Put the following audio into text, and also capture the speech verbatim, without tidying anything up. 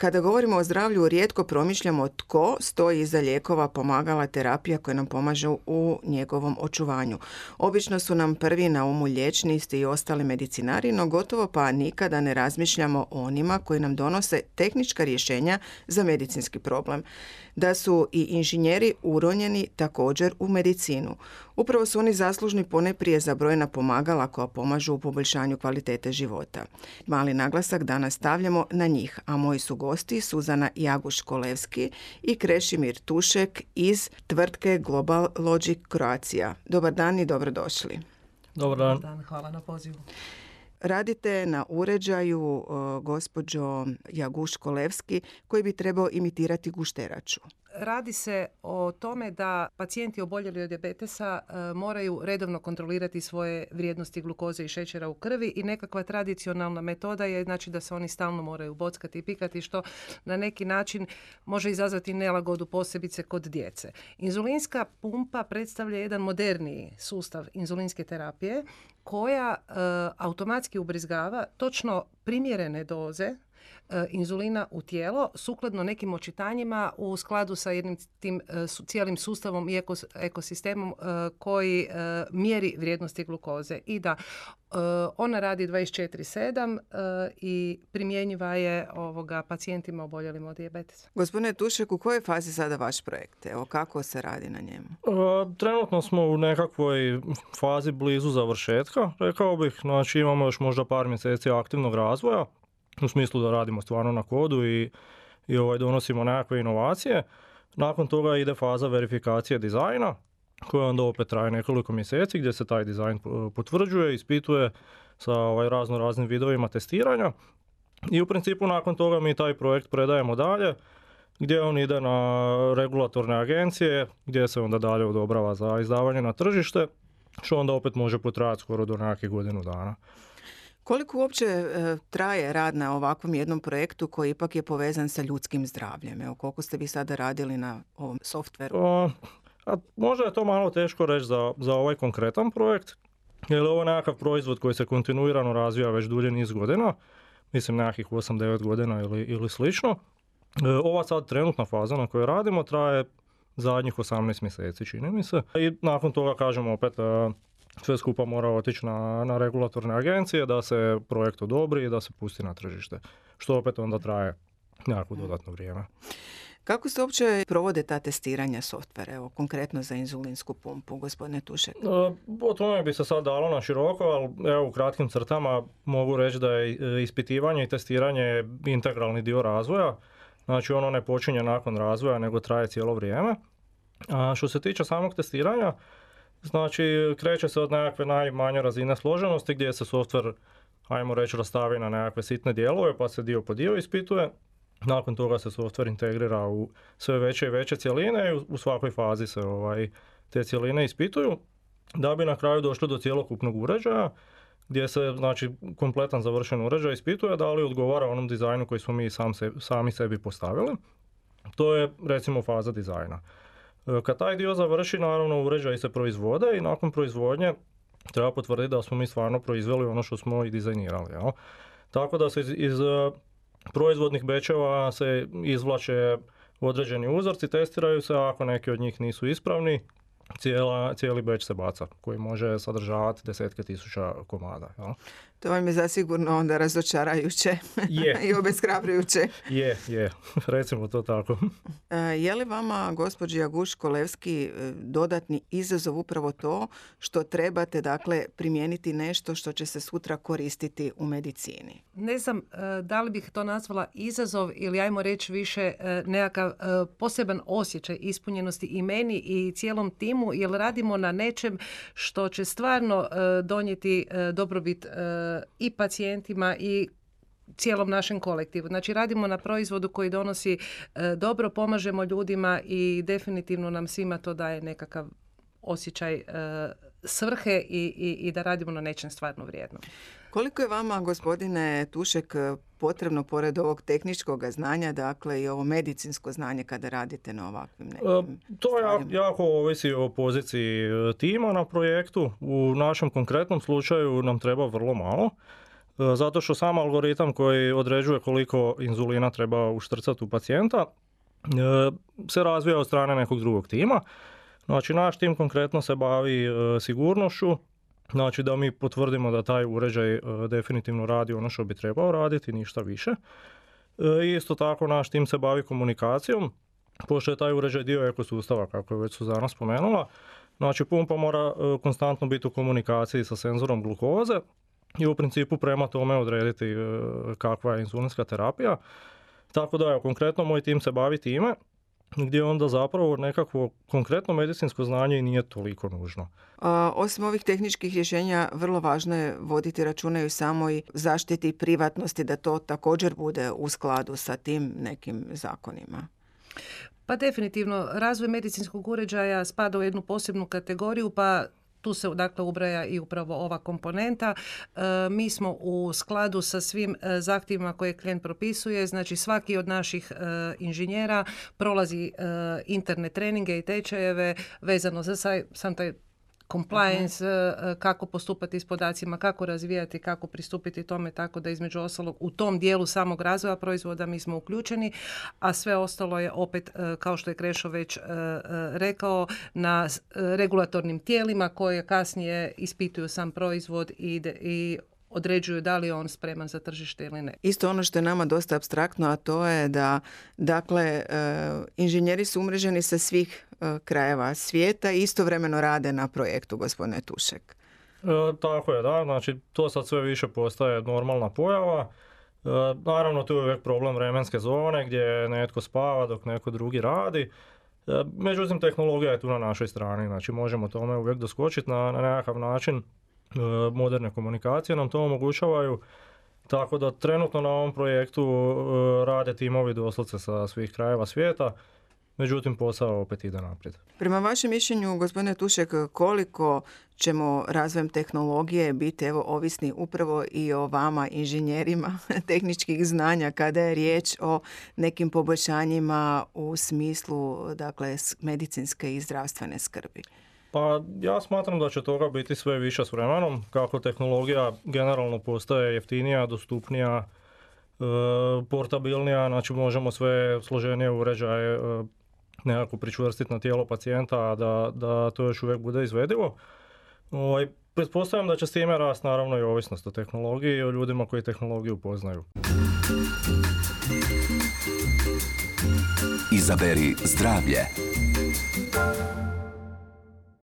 Kada govorimo o zdravlju, rijetko promišljamo tko stoji iza lijekova, pomagala, terapija koje nam pomažu u njegovom očuvanju. Obično su nam prvi na umu liječnici i ostali medicinari, no gotovo pa nikada ne razmišljamo o onima koji nam donose tehnička rješenja za medicinski problem. Da su i inženjeri uronjeni također u medicinu. Upravo su oni zaslužni poneprije za brojna pomagala koja pomažu u poboljšanju kvalitete života. Mali naglasak danas stavljamo na njih, a moji su gosti Suzana Jaguš-Kolevski i Krešimir Tušek iz tvrtke Global Logic Croatia. Dobar dan i dobrodošli. Dobar dan. Dobar dan, hvala na pozivu. Radite na uređaju, uh, gospođo Jaguš-Kolevski, koji bi trebao imitirati gušteraču. Radi se o tome da pacijenti oboljeli od dijabetesa e, moraju redovno kontrolirati svoje vrijednosti glukoze i šećera u krvi i nekakva tradicionalna metoda je znači da se oni stalno moraju bockati i pikati, što na neki način može izazvati nelagodu, posebice kod djece. Inzulinska pumpa predstavlja jedan moderniji sustav inzulinske terapije koja e, automatski ubrizgava točno primjerene doze inzulina u tijelo sukladno nekim očitanjima u skladu sa jednim tim su, cijelim sustavom i ekos, ekosistemom uh, koji uh, mjeri vrijednosti glukoze i da uh, ona radi dvadeset četiri sedam uh, i primjenjiva je ovoga pacijentima oboljelim od dijabetesa. Gospodine Tušek, u kojoj fazi sada vaš projekt? Evo, kako se radi na njemu? Uh, trenutno smo u nekakvoj fazi blizu završetka, rekao bih. Znači imamo još možda par mjeseci aktivnog razvoja, u smislu da radimo stvarno na kodu i, i ovaj, donosimo nekakve inovacije. Nakon toga ide faza verifikacije dizajna, koja onda opet traje nekoliko mjeseci, gdje se taj dizajn potvrđuje, ispituje sa ovaj, razno raznim vidovima testiranja. I u principu nakon toga mi taj projekt predajemo dalje, gdje on ide na regulatorne agencije, gdje se onda dalje odobrava za izdavanje na tržište, što onda opet može potrajati skoro do nekakvih godinu dana. Koliko uopće e, traje rad na ovakvom jednom projektu koji ipak je povezan sa ljudskim zdravljem? Evo, koliko ste vi sada radili na ovom softveru? A, a možda je to malo teško reći za, za ovaj konkretan projekt, jer ovo je nekakav proizvod koji se kontinuirano razvija već dulje niz godina, mislim nekakvih osam devet godina ili, ili slično. E, ova sad trenutna faza na kojoj radimo traje zadnjih osamnaest mjeseci, čini mi se. I nakon toga, kažemo opet, e, sve skupa mora otići na, na regulatorne agencije da se projekt odobri i da se pusti na tržište, što opet onda traje nekako dodatno vrijeme. Kako se uopće provode ta testiranja softvera, evo, konkretno za inzulinsku pumpu, gospodine Tušek? O tome bi se sad dalo na široko, ali evo, u kratkim crtama mogu reći da je ispitivanje i testiranje integralni dio razvoja. Znači ono ne počinje nakon razvoja, nego traje cijelo vrijeme. A što se tiče samog testiranja, znači, kreće se od nekakve najmanje razine složenosti gdje se softver, ajmo reći, rastavi na nekakve sitne dijelove pa se dio po dio ispituje. Nakon toga se softver integrira u sve veće i veće cjeline i u svakoj fazi se ovaj, te cjeline ispituju da bi na kraju došli do cjelokupnog uređaja gdje se, znači, kompletan završen uređaj ispituje da li odgovara onom dizajnu koji smo mi sam se, sami sebi postavili. To je, recimo, faza dizajna. Kad taj dio završi, naravno, uređaji se proizvode i nakon proizvodnje treba potvrditi da smo mi stvarno proizveli ono što smo i dizajnirali. Jel? Tako da se iz, iz proizvodnih bečeva se izvlače određeni uzorci, testiraju se, a ako neki od njih nisu ispravni, cijela, cijeli beč se baca, koji može sadržavati desetke tisuća komada. Jel? To vam je zasigurno onda razočarajuće je. i obeshrabrujuće. Je, je, recimo to tako. Je li vama, gospođi Jaguš-Kolevski, dodatni izazov upravo to što trebate, dakle, primijeniti nešto što će se sutra koristiti u medicini? Ne znam da li bih to nazvala izazov ili, ajmo reći, više nekakav poseban osjećaj ispunjenosti i meni i cijelom timu, jer radimo na nečem što će stvarno donijeti dobrobit i pacijentima i cijelom našem kolektivu. Znači, radimo na proizvodu koji donosi e, dobro, pomažemo ljudima i definitivno nam svima to daje nekakav osjećaj e, svrhe i, i, i da radimo na nečem stvarno vrijednom. Koliko je vama, gospodine Tušek, potrebno pored ovog tehničkog znanja, dakle i ovo medicinsko znanje kada radite na ovakvim nekim e, To ja, jako ovisi o poziciji tima na projektu. U našem konkretnom slučaju nam treba vrlo malo. zato što sam algoritam koji određuje koliko inzulina treba uštrcati u pacijenta se razvija od strane nekog drugog tima. Znači, naš tim konkretno se bavi sigurnošću, znači da mi potvrdimo da taj uređaj definitivno radi ono što bi trebao raditi, ništa više. I isto tako naš tim se bavi komunikacijom, pošto je taj uređaj dio ekosustava, kako je već Suzana spomenula. Znači, pumpa mora konstantno biti u komunikaciji sa senzorom glukoze i u principu prema tome odrediti kakva je inzulinska terapija. Tako da, evo, konkretno moj tim se bavi time, gdje onda zapravo nekakvo konkretno medicinsko znanje i nije toliko nužno. A, osim ovih tehničkih rješenja, vrlo važno je voditi računa i o samoj zaštiti privatnosti, da to također bude u skladu sa tim nekim zakonima. Pa definitivno, razvoj medicinskog uređaja spada u jednu posebnu kategoriju, pa tu se dakle ubraja i upravo ova komponenta. E, mi smo u skladu sa svim e, zahtjevima koje klijent propisuje, znači svaki od naših e, inženjera prolazi e, interne treninge i tečajeve vezano za saj, sam taj compliance, uh-huh. kako postupati s podacima, kako razvijati, kako pristupiti tome, tako da između ostalog u tom dijelu samog razvoja proizvoda mi smo uključeni, a sve ostalo je opet, kao što je Krešo već rekao, na regulatornim tijelima koje kasnije ispituju sam proizvod i, i određuju da li je on spreman za tržište ili ne. Isto ono što je nama dosta apstraktno, a to je da, dakle, inženjeri su umreženi sa svih krajeva svijeta i istovremeno rade na projektu, gospodine Tušek. E, tako je, da. Znači, to sad sve više postaje normalna pojava. E, naravno, tu je uvijek problem vremenske zone gdje netko spava dok neko drugi radi. E, međutim, tehnologija je tu na našoj strani. Znači, možemo tome uvijek doskočiti na, na nekakav način. Moderne komunikacije nam to omogućavaju, tako da trenutno na ovom projektu rade timovi doslovce sa svih krajeva svijeta, međutim posao opet ide naprijed. Prema vašem mišljenju, gospodine Tušek, koliko ćemo razvojem tehnologije biti evo ovisni upravo i o vama, inženjerima tehničkih znanja, kada je riječ o nekim poboljšanjima u smislu, dakle, medicinske i zdravstvene skrbi? Pa ja smatram da će toga biti sve više s vremenom, kako tehnologija generalno postaje jeftinija, dostupnija, e, portabilnija, znači možemo sve složenije uređaje e, nekako pričvrstiti na tijelo pacijenta, a da, da to još uvijek bude izvedivo. Ovaj, pretpostavljam da će s time rast naravno i ovisnost o tehnologiji i o ljudima koji tehnologiju poznaju. Izaberi zdravlje.